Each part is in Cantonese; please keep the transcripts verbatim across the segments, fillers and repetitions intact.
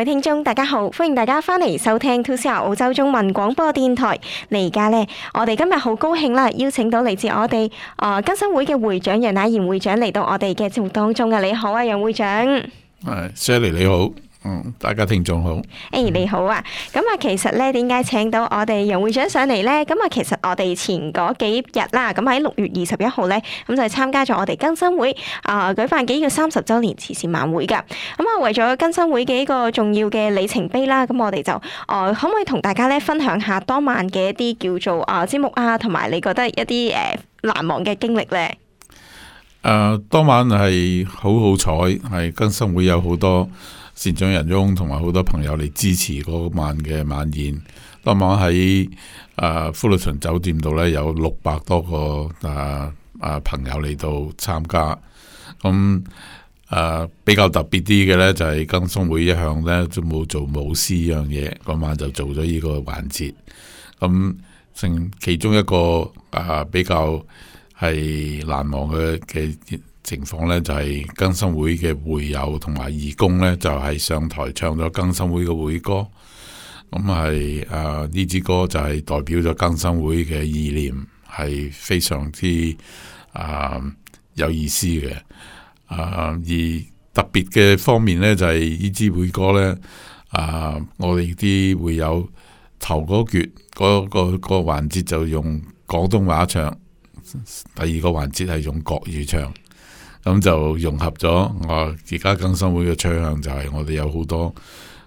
位聽眾大家好，歡迎大家翻嚟收聽two C R澳洲中文廣播電台。嚟而家呢，我哋今日好高興啦，邀請到嚟自我哋啊更新會嘅會長楊乃賢會長嚟到我哋嘅節目當中啊！你好啊，楊會長。係 Sally 你好。嗯，大家聽眾好。誒、hey, 你好啊，咁啊，其實咧點解請到我哋楊會長上嚟咧？咁啊，其實我哋前嗰幾日啦，咁喺六月二十一號咧，咁就係參加咗我哋更新會啊、呃、舉辦嘅呢個三十週年慈善晚會㗎。咁啊，為咗更新會嘅一個重要嘅里程碑啦，咁我哋就誒、呃、可唔可以同大家咧分享下當晚嘅一啲叫做啊節目啊，同埋你覺得一啲誒、呃、難忘嘅經歷咧？誒、呃，當晚係好好彩，係更新會有好多善長仁翁同埋好多朋友嚟支持嗰晚嘅晚宴。當晚喺誒富律頓酒店度咧，有六百多個誒誒、呃呃、朋友嚟到參加。咁誒、呃、比較特別啲嘅咧，就係、是、更新會一向咧都冇做舞獅呢樣嘢，嗰晚就做咗呢個環節。咁成其中一個誒、呃、比較係難忘嘅嘅情況呢，就係、是、更新會嘅會友同埋義工呢，就係、是、上台唱咗更新會嘅會歌。咁係誒呢支歌就係代表咗更新會嘅意念，係非常之誒、呃、有意思嘅。誒、呃、而特別嘅方面呢，就係呢支會歌呢，誒、呃、我哋啲會友頭嗰橛嗰個、那個環節就用廣東話唱。第二個環節係用國語唱，咁就融合咗我而家更新會嘅趨向，就係我哋有好多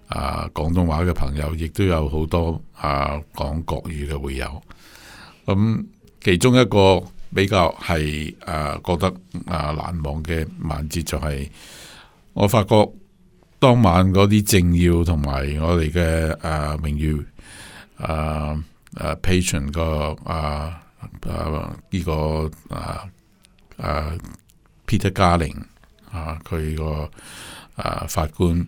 啊廣東話嘅朋友，亦都有好多啊講國語嘅會友。咁其中一個比較係啊覺得啊難忘嘅環節就係，我發覺當晚嗰啲政要同埋我哋嘅啊名譽啊啊 patron 個啊。誒、啊，呢、這個誒誒、啊、Peter Garling 啊，佢個誒法官，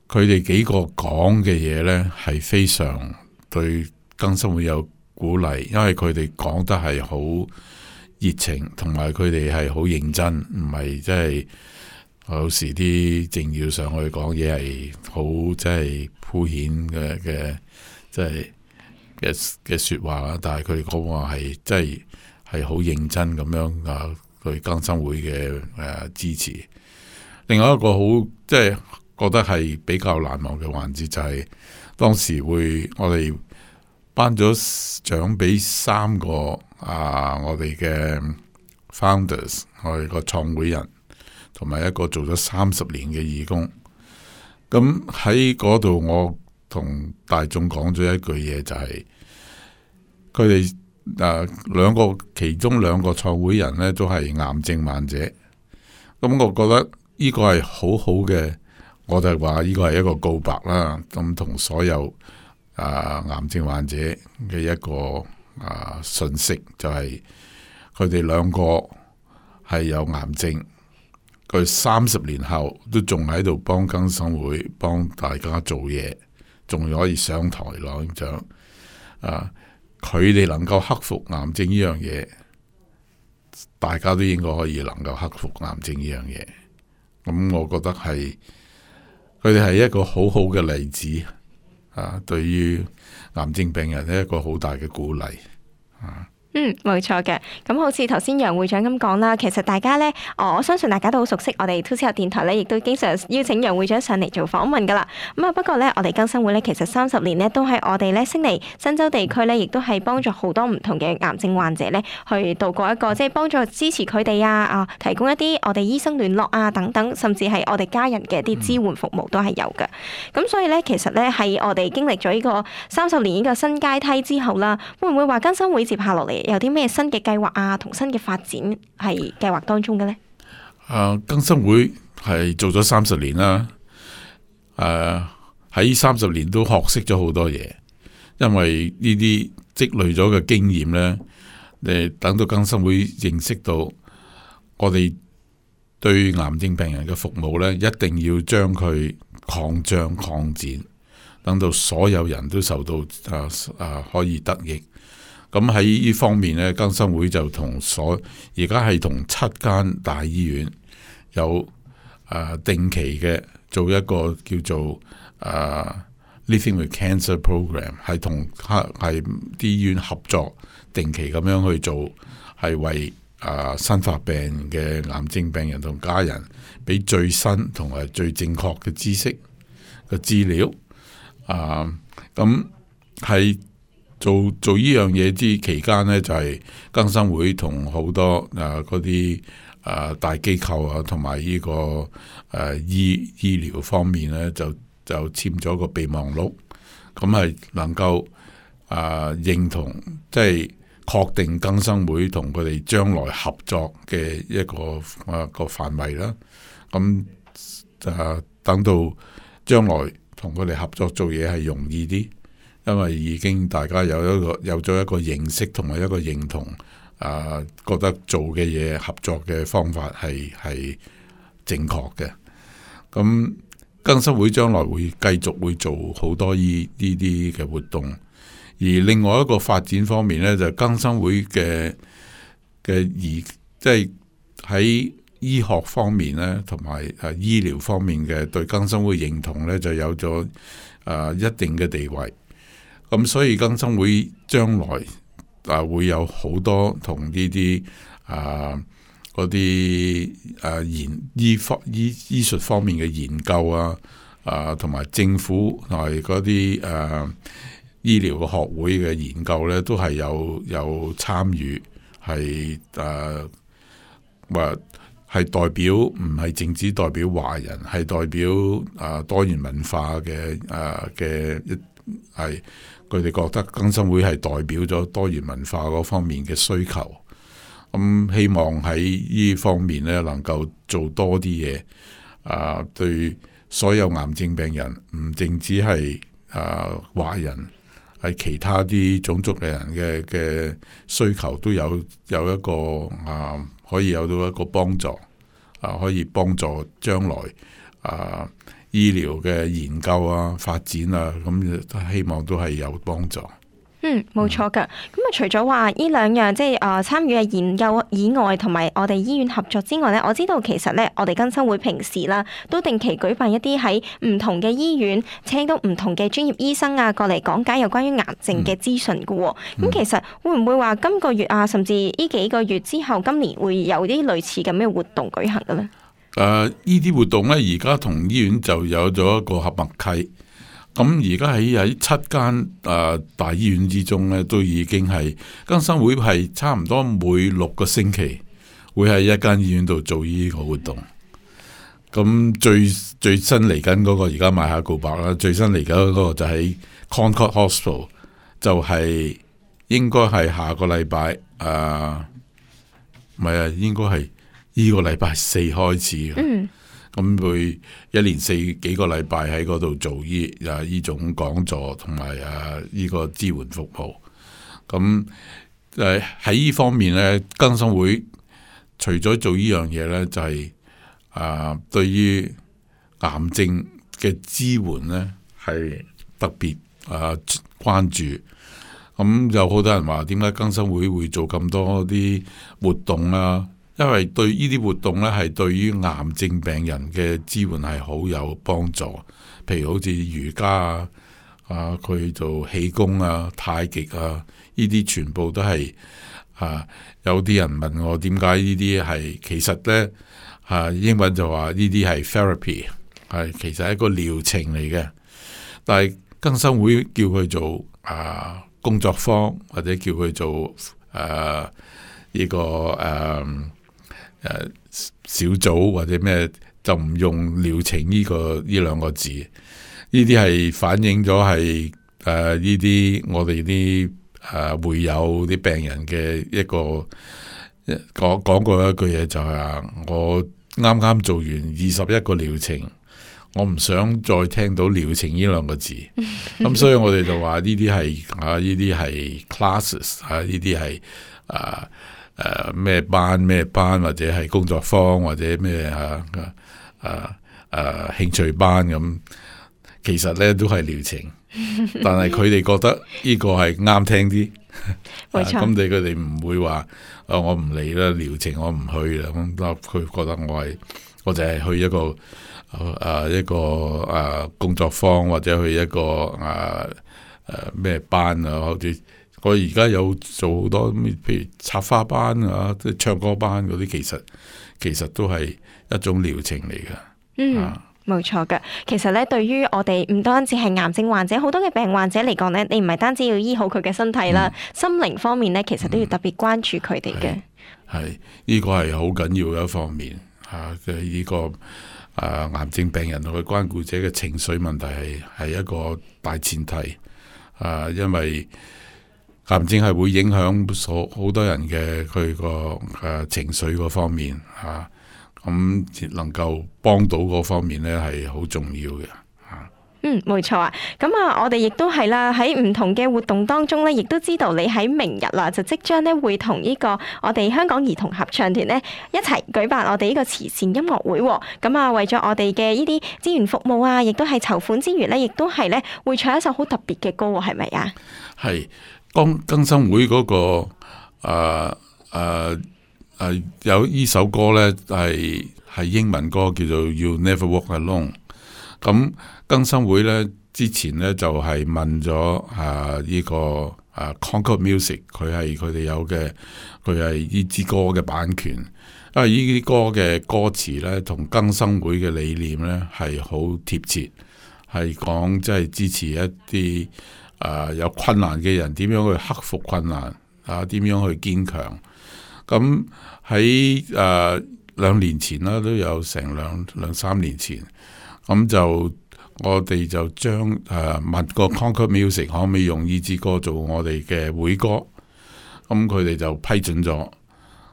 佢哋幾個講嘅嘢咧，係非常對更新會有鼓勵，因為佢哋講得係好熱情，同埋佢哋係好認真，唔係即係有時啲政要上去講嘢係好即係敷衍嘅嘅，即係。嘅嘅說話啦，但係佢哋講話係真係係好認真咁樣啊，對更新會嘅誒、呃、支持。另外一個好即係覺得係比較難忘嘅環節就係、是、當時會我哋頒咗獎俾三個啊我哋嘅 founders， 我哋個創會人，同埋一個做咗三十年嘅義工。咁喺嗰度我同大眾講咗一句嘢，就係佢哋誒兩個其中兩個創會人咧都係癌症患者，咁我覺得呢個係好好嘅，我就話呢個係一個告白啦，咁同所有誒、呃、癌症患者嘅一個誒、呃、訊息，就係佢哋兩個係有癌症，佢三十年後都仲喺度幫更新會幫大家做嘢。仲可以上台攞獎啊！佢哋能夠克服癌症呢樣嘢，大家都應該可以能夠克服癌症呢樣嘢。咁我覺得係佢哋係一個好好嘅例子啊！對於癌症病人係一個好大嘅鼓勵啊！嗯，冇錯嘅。咁好似頭先楊會長咁講啦，其實大家咧，我相信大家都好熟悉我哋 two C R 電台咧，亦都經常邀請楊會長上嚟做訪問噶啦。咁啊，不過咧，我哋更新會咧，其實三十年咧，都喺我哋咧悉尼新州地區咧，亦都係幫助好多唔同嘅癌症患者咧，去度過一個即係幫助支持佢哋啊啊，提供一啲我哋醫生聯絡啊等等，甚至係我哋家人嘅一啲支援服務都係有嘅。咁所以咧，其實咧喺我哋經歷咗呢個三十年呢個新階梯之後啦，會唔會話更新會接下落嚟有啲咩新嘅計劃啊，同新嘅發展係計劃當中嘅呢？誒，更新會係做咗三十年啦，誒喺三十年都學識咗好多嘢，因為呢啲積累咗嘅經驗呢，誒等到更新會認識到我哋對癌症病人嘅服務呢，一定要將佢擴張擴展，等到所有人都受到誒誒、啊、可以得益。咁喺呢方面咧，更新會就同所而家係同七間大醫院有誒、呃、定期嘅做一個叫做誒、啊 Living with Cancer Program， 係同係啲醫院合作，定期咁樣去做，係為啊新發病嘅癌症病人同家人俾最新同埋最正確嘅知識嘅資料。啊，咁係做做呢樣嘢之期間呢，就係、是、更生會同好多啊嗰啲啊大機構啊，同埋呢個誒、啊、醫醫療方面呢，就就簽咗個備忘錄，咁係能夠啊認同，即係確定更生會同佢哋將來合作嘅一個啊個範圍啦。咁啊等到將來同佢哋合作做嘢係容易啲，因為已經大家有一個有咗一個認識同埋一個認同，啊覺得做嘅嘢合作嘅方法係係正確嘅。咁更生會將來會繼續會做好多呢呢啲嘅活動，而另外一個發展方面呢，就係更生會嘅嘅而即係喺醫學方面咧，同埋誒醫療方面嘅對更生會認同咧，就有咗誒、呃、一定嘅地位。咁所以更生會將來啊、呃、會有好多同呢啲啊嗰啲誒研醫科醫醫術方面嘅研究啊，啊同埋政府同埋嗰啲誒醫療嘅學會嘅研究咧，都係有有參與，係誒話。係代表唔係淨止代表華人，係代表啊多元文化嘅啊嘅一係佢哋覺得更生會係代表咗多元文化嗰方面嘅需求。咁、嗯、希望喺呢方面咧能夠做多啲嘢啊，對所有癌症病人，唔淨止係啊華人，係其他啲種族嘅人嘅嘅需求都有有一個啊。可以有到一個幫助，啊，可以幫助將來啊醫療嘅研究啊發展啊，咁希望都係有幫助。嗯，冇錯噶。咁啊，除咗話呢兩樣即係誒參與嘅研究以外，同埋我哋醫院合作之外咧，我知道其實咧，我哋更生會平時啦，都定期舉辦一啲喺唔同嘅醫院請到唔同嘅專業醫生啊，過嚟講解有關於癌症嘅資訊噶。咁、嗯、其實會唔會話今個月啊，甚至呢幾個月之後，今年會有啲類似咁嘅活動舉行嘅咧？誒、呃，呢啲活動咧，而家同醫院就有咗一個合默契。咁而家喺喺七間誒大醫院之中咧，都已經係更生會係差唔多每六個星期會喺一間醫院度做呢個活動。咁最最新嚟緊嗰個而家賣下告白啦，最新嚟緊嗰個就喺 Concord Hospital， 就係應該係下個禮拜誒，唔係啊，應該係呢個禮拜四開始嘅。嗯咁會一連四幾個禮拜喺嗰度做呢啊呢種講座同埋啊呢個支援服務。咁誒喺呢方面咧，更生會除咗做呢樣嘢咧，就係、是、啊對於癌症嘅支援咧係特別啊關注。咁有好多人話點解更生會會做咁多啲活動啊？因為對呢啲活動咧，係對於癌症病人嘅支援係好有幫助。譬如好似瑜伽啊，啊佢做氣功啊、太極啊，呢啲全部都係啊。有啲人問我點解呢啲係，其實咧啊英文就話呢啲係 therapy， 係其實係一個療程嚟嘅。但係更生會叫佢做啊工作坊，或者叫佢做誒呢個誒。誒小組或者咩，就唔用療程呢、這個呢兩個字，呢啲係反映咗係誒呢啲我哋啲誒會有啲病人嘅一個講講過一句嘢，就係話我啱啱做完二十一個療程，我唔想再聽到療程呢兩個字，咁所以我哋就話呢啲係啊呢啲係 classes 啊呢啲係啊。誒咩、呃、班咩班，或者係工作坊，或者咩啊啊啊興趣班咁，其實咧都係療程，但係佢哋覺得呢個係啱聽啲，冇錯。咁你佢哋唔會話啊我唔嚟啦，療程我唔去啦，咁佢覺得我係我就係去一個誒一個誒工作坊或者去一個誒誒咩班啊，好似我而家有做好多，譬如插花班啊，即係唱歌班嗰啲，其實其實都係一種療程嚟嘅。嗯。啊冇錯嘅，其實咧，對於我哋唔單止係癌症患者，好多嘅病患者嚟講咧，你唔係單止要醫好佢嘅身體啦，嗯、心靈方面咧，其實都要特別關注佢哋嘅。係呢個係好緊要嘅一方面啊嘅呢個啊癌症病人同佢關顧者嘅情緒問題係係一個大前提啊，因為癌症係會影響所好多人嘅佢個誒情緒嗰方面啊。咁能夠幫到嗰方面咧，係好重要嘅。嗯，冇錯啊。咁啊，我哋亦都係啦，喺唔同嘅活動當中咧，亦都知道你喺明日啦，就即將咧會同呢個我哋香港兒童合唱團咧一齊舉辦我哋呢個慈善音樂會。咁啊，為咗我哋嘅呢啲資源服務啊，亦都係籌款之餘咧，亦都係咧會唱一首好特別嘅歌，係咪啊？係剛更生會嗰、那個誒誒。呃呃誒，有呢首歌咧，係係英文歌，叫做 You Never Walk Alone。咁更生會咧之前咧就係、是、問咗啊呢、這個啊 Concord Music， 佢係佢哋有嘅，佢係呢支歌嘅版權。因為呢啲歌嘅歌詞咧，同更生會嘅理念咧係好貼切，係講即係支持一啲啊有困難嘅人點樣去克服困難啊，點樣去堅強。咁喺誒兩年前啦，都有成兩兩三年前，咁就我哋就將誒、呃、問個 Concord Music 可唔可以用呢支歌做我哋嘅會歌，咁佢哋就批准咗，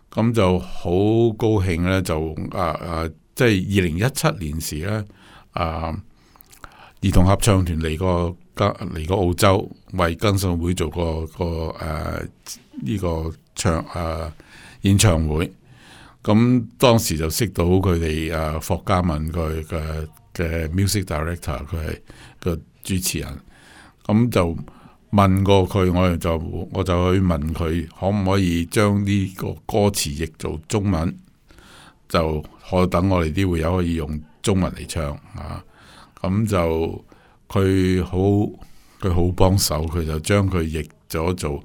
咁就好高興咧，就誒誒，即係二零一七年時咧，啊兒童合唱團嚟過嚟過澳洲，為更生會做個個誒呢個唱誒。呃演唱會，咁當時就識到佢哋誒霍嘉文佢嘅嘅 music director，佢係個主持人，咁就問過佢，我就我就去問佢可唔可以將呢個歌詞譯做中文，就可等我哋啲會友可以用中文嚟唱啊，咁就佢好佢好幫手，佢就將佢譯咗做。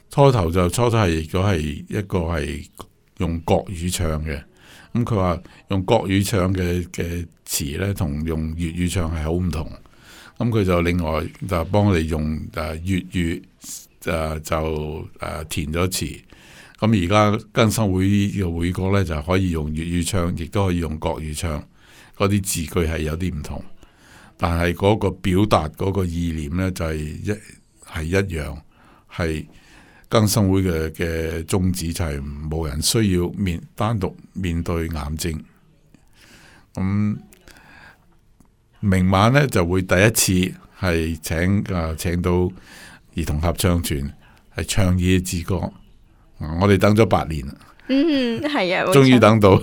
初頭就初初係如果係一個係用國語唱嘅，咁佢話用國語唱嘅嘅詞咧，同用粵語唱係好唔同。咁佢就另外就幫我哋用誒粵語誒就誒填咗詞。咁而家更生會嘅會歌咧就可以用粵語唱，亦都可以用國語唱。嗰啲字句係有啲唔同，但係嗰個表達嗰個意念咧就係一係一樣係。更生會嘅嘅宗旨就係冇人需要面單獨面對癌症。咁明晚咧就會第一次係請誒、啊、請到兒童合唱團係唱呢一支歌。我哋等咗八年啦。嗯，係啊，終於等到，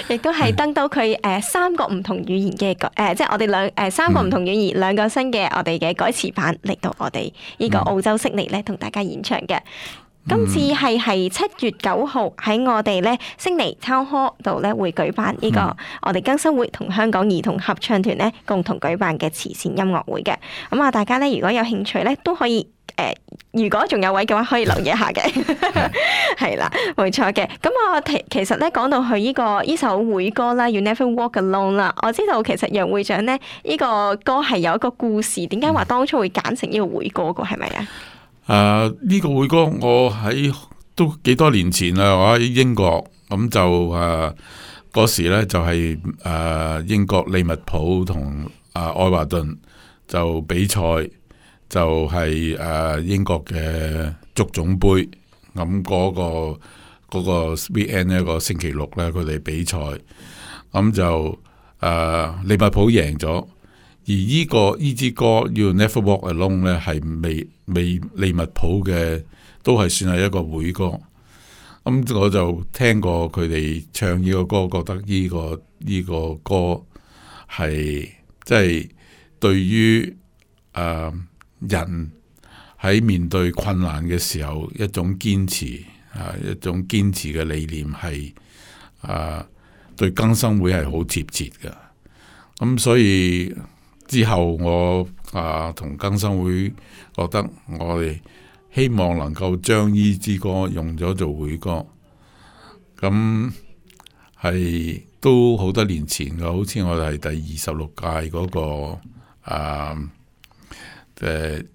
亦都係登到佢誒、呃、三個唔同語言嘅誒、呃，即係我哋兩誒三個唔同語言兩、嗯、個新嘅我哋嘅改詞版嚟到我哋呢個澳洲悉尼咧，同大家演唱嘅。今次係係七月九號喺我哋咧悉尼 Town Hall 度咧會舉辦呢、這個、嗯、我哋更生會同香港兒童合唱團咧共同舉辦嘅慈善音樂會嘅。咁啊，大家咧如果有興趣咧都可以。誒、呃，如果仲有位嘅話，可以留意一下嘅，係啦，冇錯嘅。咁我其其實咧講到佢呢、這個呢首會歌啦，《You Never Walk Alone》啦，我知道其實楊會長咧呢、這個歌係有一個故事，點解話當初會揀成呢個會歌嘅係咪啊？誒，呢、呃這個會歌我喺都幾多年前啦，我喺英國咁就誒嗰、呃、時咧就係、是、誒、呃、英國利物浦同誒愛華頓就比賽。就係、是、誒、呃、英國嘅足總杯，咁、嗯、嗰、那個嗰、那個 weekend 一個星期六咧，佢哋比賽，咁、嗯、就誒、呃、利物浦贏咗，而呢、這個呢支歌 You Never Walk Alone 咧係未未利物浦嘅，都係算係一個會歌。咁、嗯、我就聽過佢哋唱呢個歌，覺得呢、這個呢、這個歌係即係對於誒。呃人喺面對困難嘅時候，一種堅持啊，一種堅持嘅理念係啊，對更生會係好貼切嘅。咁所以之後我啊同更生會覺得我哋希望能夠將呢支歌用咗做會歌，咁係都好多年前嘅，好似我哋係第二十六屆嗰個啊誒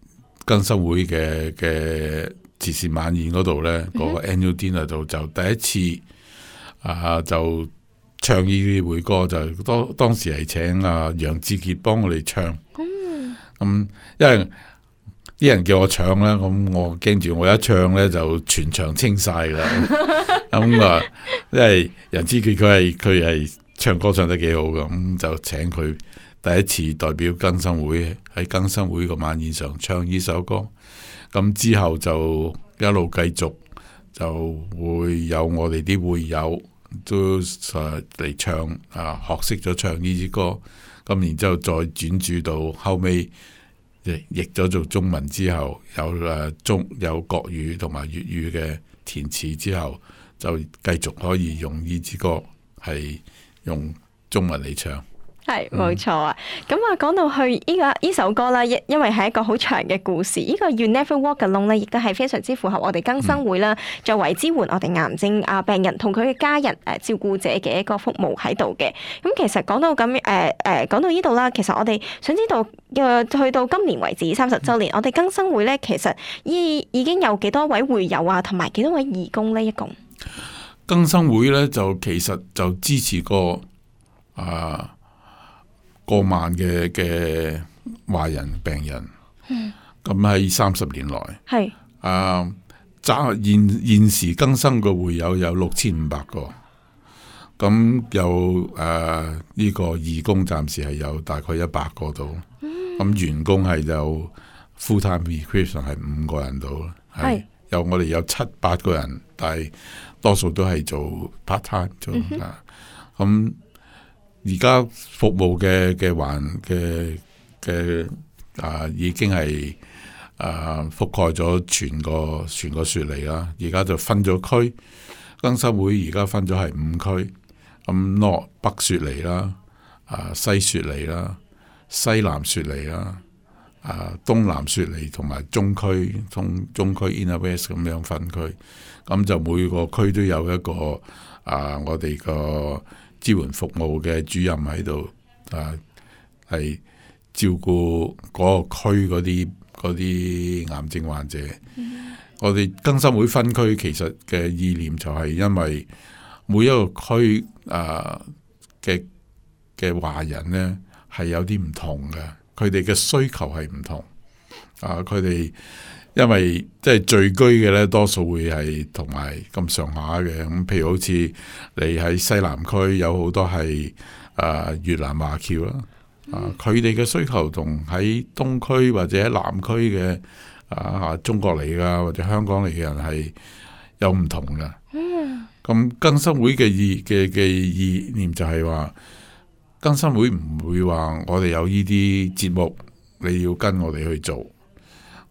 更生會嘅嘅慈善晚宴嗰度咧，嗰、mm-hmm. 個 annual dinner 度就第一次啊就唱呢啲會歌，就當當時係請阿楊志傑幫我哋唱。咁、嗯、因為啲人叫我唱咧，咁我驚住我一唱咧就全場清晒噶啦。咁啊，因為楊志傑佢係佢係唱歌唱得幾好噶，咁就請佢第一次代表更生會喺更生會個晚宴上唱呢首歌。咁之後就一路繼續就會有我哋啲會友都嚟唱啊，學識咗唱呢支歌。咁然之後再轉注到後尾譯咗做中文之後，有誒中有國語同埋粵語嘅填詞之後，就繼續可以用呢支歌係用中文嚟唱。係冇錯啊！咁啊，講到去呢個呢首歌啦，因因為係一個好長嘅故事，呢個 You Never Walk Alone 咧，亦都係非常之符合我哋更生會啦，作為支援我哋癌症啊病人同佢嘅家人誒照顧者嘅一個服務喺度嘅。咁其實講到咁誒誒，講到呢度啦，其實我哋想知道誒，去到今年為止三十週年，我哋更生會咧，其實已已經有幾多位會友啊，同埋幾多位義工咧？一共更生會咧就其實就支持過啊。過萬嘅嘅華人病人，咁喺三十年來，係啊，暫現現時更生嘅會友有六千五百個，咁有誒呢、呃這個義工暫時係有大概一百個度，咁、嗯、員工係有 full time recruitment 係五個人度，係有我哋有七八個人，但係多數都係做 part time 做啊，咁、嗯。而家服務嘅嘅環嘅嘅啊，已經係啊覆蓋咗全個全個雪梨啦。而家就分咗區，更生會而家分咗係五區，咁 North 北雪梨啦，啊西雪梨啦，西南雪梨啦，啊東南雪梨同埋中區中中區 Inner West 咁樣分區，咁就每個區都有一個啊我哋個支援服務嘅主任喺度，啊，係照顧嗰個區嗰啲嗰啲癌症患者。Mm-hmm. 我哋更生會分區其實嘅意念就係因為每一個區啊嘅嘅華人呢係有啲唔同嘅，佢哋嘅需求係唔同。啊，佢哋因為即係聚居嘅咧，多數會係同埋咁上下嘅。咁譬如好似你喺西南區有好多係啊越南華僑啦，啊佢哋嘅需求同喺東區或者喺南區嘅啊中國嚟噶或者香港嚟嘅人係有唔同嘅。咁更生會嘅意嘅嘅意念就係話，更生會唔會話我哋有呢啲節目你要跟我哋去做。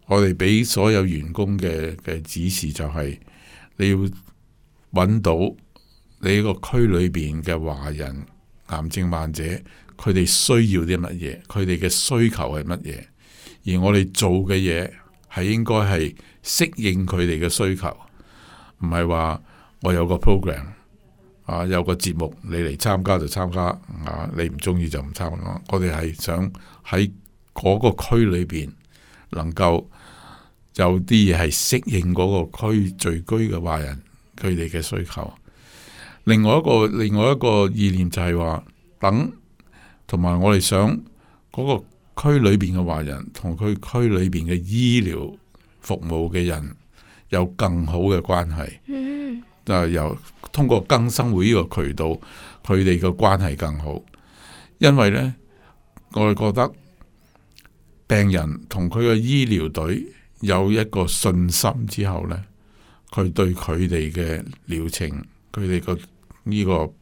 我哋俾所有員工嘅嘅指示就係，你要揾到你個區裏邊嘅華人癌症患者，佢哋需要啲乜嘢，佢哋嘅需求係乜嘢，而我哋做嘅嘢係應該係適應佢哋嘅需求，唔係話我有個 program 啊，有個節目你嚟參加就參加啊，你唔中意就唔參加。我哋係想喺嗰個區裏邊能夠有啲嘢係適應嗰個區聚居嘅華人佢哋嘅需求。另外一個另外一個意念就係話，等同埋我哋想嗰個區裏邊嘅華人同佢區裏邊嘅醫療服務嘅人有更好嘅關係。嗯，就係由通過更生會呢個渠道，佢哋嘅關係更好。因為呢，我哋覺得病人同佢嘅醫療隊有一個信心之後呢，佢對佢哋嘅療程，佢哋個呢個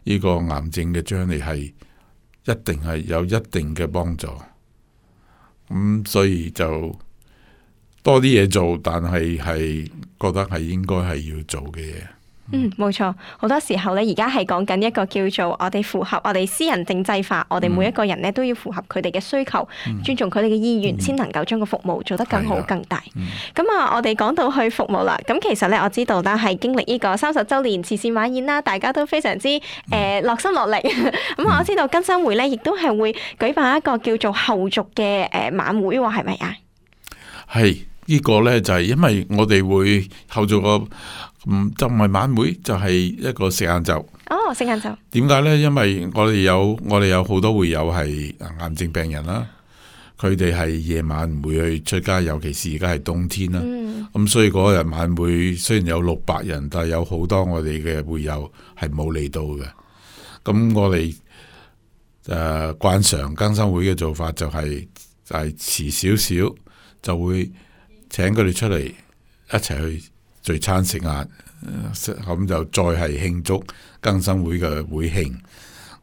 呢個癌症嘅將嚟係一定係有一定嘅幫助。咁、嗯、所以就多啲嘢做，但係係覺得係應該係要做嘅嘢。嗯，冇錯，好多時候咧，而家係講緊一個叫做我哋符合我哋私人定制化，我哋每一個人咧都要符合佢哋嘅需求，嗯、尊重佢哋嘅意願，先、嗯、能夠將個服務做得更好、更大。咁啊、嗯，我哋講到去服務啦，咁其實咧我知道啦，係經歷呢個三十週年慈善晚宴啦，大家都非常之誒、呃、落心落力。咁、嗯、我知道更生會咧，亦都係會舉辦一個叫做後續嘅誒晚會喎，係咪啊？係。呢個呢，就係因為我哋會後續個嗯就唔係晚會，就係、是、一個食晏晝。哦，食晏晝。點解呢？因為我哋有我哋有好多會友係癌症病人啦，佢哋係夜晚唔會去出街，尤其是而家係冬天啦。咁、嗯嗯、所以嗰日晚會雖然有六百人，但係有好多我哋嘅會友係冇嚟到嘅。咁我哋誒慣常更生會嘅做法就係、是、就係遲少少就會請佢哋出嚟一齊去聚餐食晏，咁就再係慶祝更生會嘅會慶。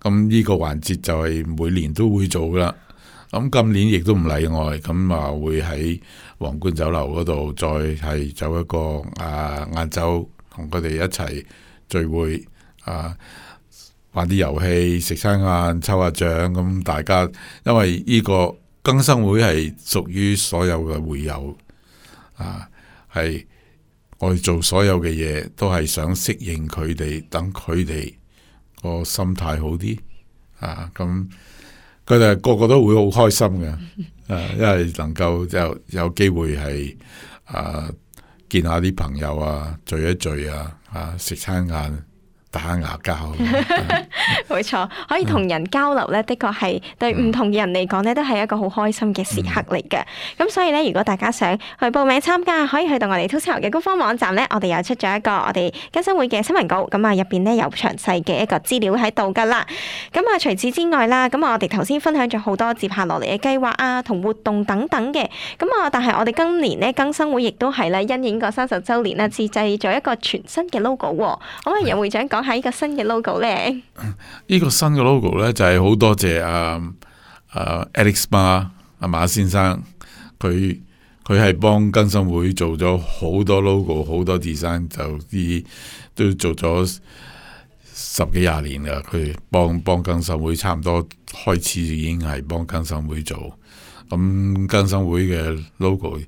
咁呢個環節就係每年都會做噶啦。咁今年亦都唔例外，咁啊會喺皇冠酒樓嗰度再係走一個啊晏晝同佢哋一齊聚會啊，玩啲遊戲、食餐晏、抽下獎。咁大家因為呢個更生會係屬於所有嘅會友。啊，係我哋做所有嘅嘢都係想適應佢哋，等佢哋個心態好啲啊！咁佢哋個個都會好開心嘅，啊，因為能夠有有機會係啊見下啲朋友啊，聚一聚啊，啊食餐晏。打下牙交，冇錯，可以同人交流咧，的確係對唔同嘅人嚟講咧，都係一個好開心嘅時刻嚟嘅。咁、嗯、所以咧，如果大家想去報名參加，可以去到我哋 To C 嘅官方網站咧，我哋又出咗一個我哋更生會嘅新聞稿，咁啊入邊咧有詳細嘅一個資料喺度噶啦。咁啊除此之外啦，咁啊我哋頭先分享咗好多接下落嚟嘅計劃啊，同活動等等嘅。咁啊，但係我哋今年咧更生會亦都係咧因應個三十週年啦，自製咗一個全新嘅 logo。可唔可以楊會長講下呢個新嘅 logo 咧？呢個新嘅 logo 咧就係好多謝啊啊 Alex Ma 阿馬先生，佢佢係幫更生會做咗好多 logo， 好多 design， 就啲都做咗十幾廿年啦。佢幫幫更生會差唔多開始已經係幫更生會做，咁更生會嘅 logo 誒、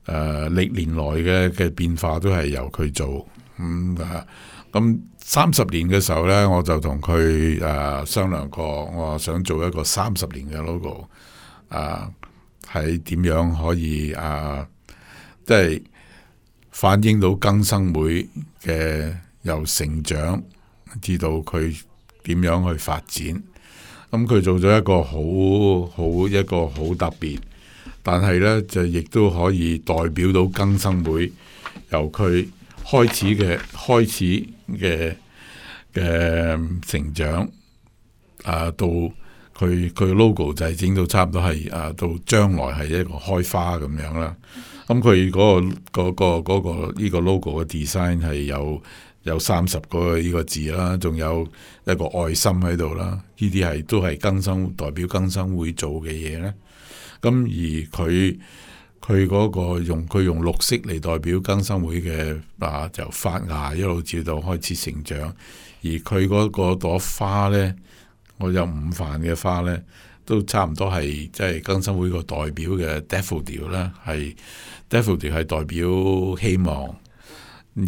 呃、歷年來嘅嘅變化都係由佢做。咁啊，咁三十年嘅時候呢，我就同佢誒商量過，我話想做一個三十年嘅 logo，啊，係點樣可以啊，即係反映到更生會嘅由成長至到佢點樣去發展。咁佢做咗一個好好一個好特別，但係呢，就亦都可以代表到更生會由佢開始嘅開始嘅嘅成長啊，到佢佢 logo 就係整到差唔多係啊，到將來係一個開花咁樣啦。咁佢嗰個嗰、嗰個嗰、嗰個呢個 logo 嘅 design 係有有三十個呢個字啦，仲有一個愛心喺度啦。呢啲係都係更生代表更生會做嘅嘢咧。咁而佢。佢嗰個用佢用綠色嚟代表更生會嘅啊，就發芽一路照到開始成長。而佢嗰個朵花呢，我有五瓣嘅花呢，都差唔多係即係更生會個代表嘅 daffodil 啦，係 daffodil 係代表希望。而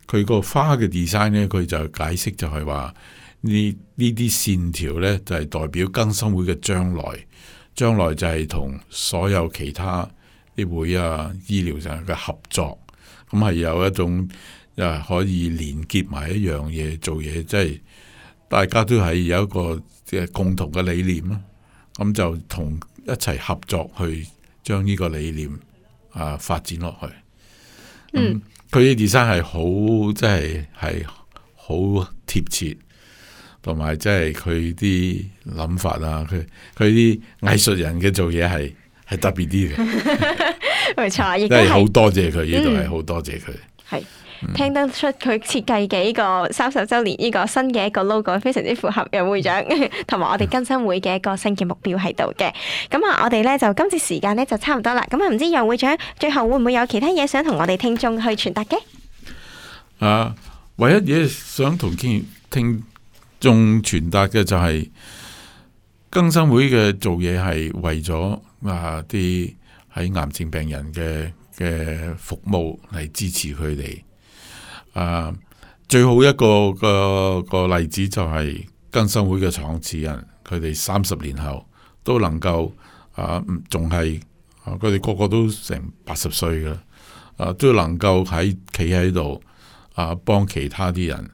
佢個花嘅 design 呢，佢就解釋就係話呢呢啲線條呢，就係代表更生會嘅將來，將來就係同所有其他啲會啊，醫療上嘅合作，咁係有一種誒可以連結埋一樣嘢做嘢，即係大家都係有一個嘅共同嘅理念啦。咁就同一齊合作去將呢個理念啊發展落去。嗯，佢啲 design 係好，即係係好貼切，同埋即係佢啲諗法啊，佢佢啲藝術人嘅做嘢係。係特別啲嘅，冇錯，亦都係好多謝佢，呢度係好多謝佢。係、嗯、聽得出佢設計嘅呢個三十週年呢個新嘅一個 logo， 非常之符合楊會長同埋我哋更生會嘅一個新嘅目標喺度嘅。咁啊，我哋咧就今次時間咧就差唔多啦。咁啊，唔知楊會長最後會唔會有其他嘢想同我哋聽眾去傳達嘅？啊，唯一嘢想同聽聽眾傳達嘅就係更生會嘅做嘢係為咗啊啲喺癌症病人嘅嘅服務嚟支持佢哋。啊，最好一個個個例子就係更生會嘅創始人，佢哋三十年後都能夠啊，仲係佢哋個個都成八十歲嘅，啊都能夠喺企喺度啊幫其他啲人。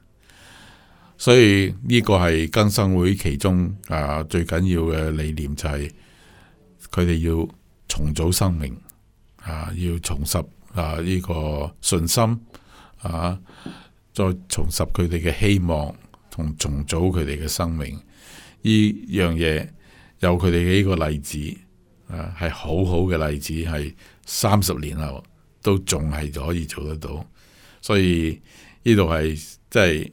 所以呢個係更生會其中啊最緊要嘅理念，就係佢哋要重組生命啊，要重拾啊呢個信心啊，再重拾佢哋嘅希望同重組佢哋嘅生命。呢樣嘢有佢哋嘅呢個例子啊，係好好嘅例子，係三十年後都仲係可以做得到。所以呢度係即係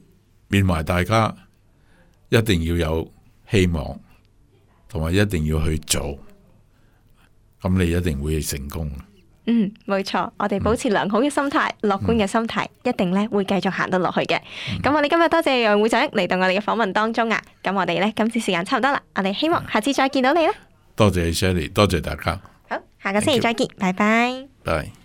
勉勵大家一定要有希望，同埋一定要去做，咁你一定會成功。嗯，冇錯，我哋保持良好嘅心態、樂觀嘅心態，一定咧會繼續行得落去嘅。咁、嗯、我哋今日多謝楊會長嚟到我哋嘅訪問當中啊。咁我哋咧今次時間差唔多啦，我哋希望下次再見到你啦。多謝 Shelly， 多謝大家。好，下個星期再見，拜拜。拜。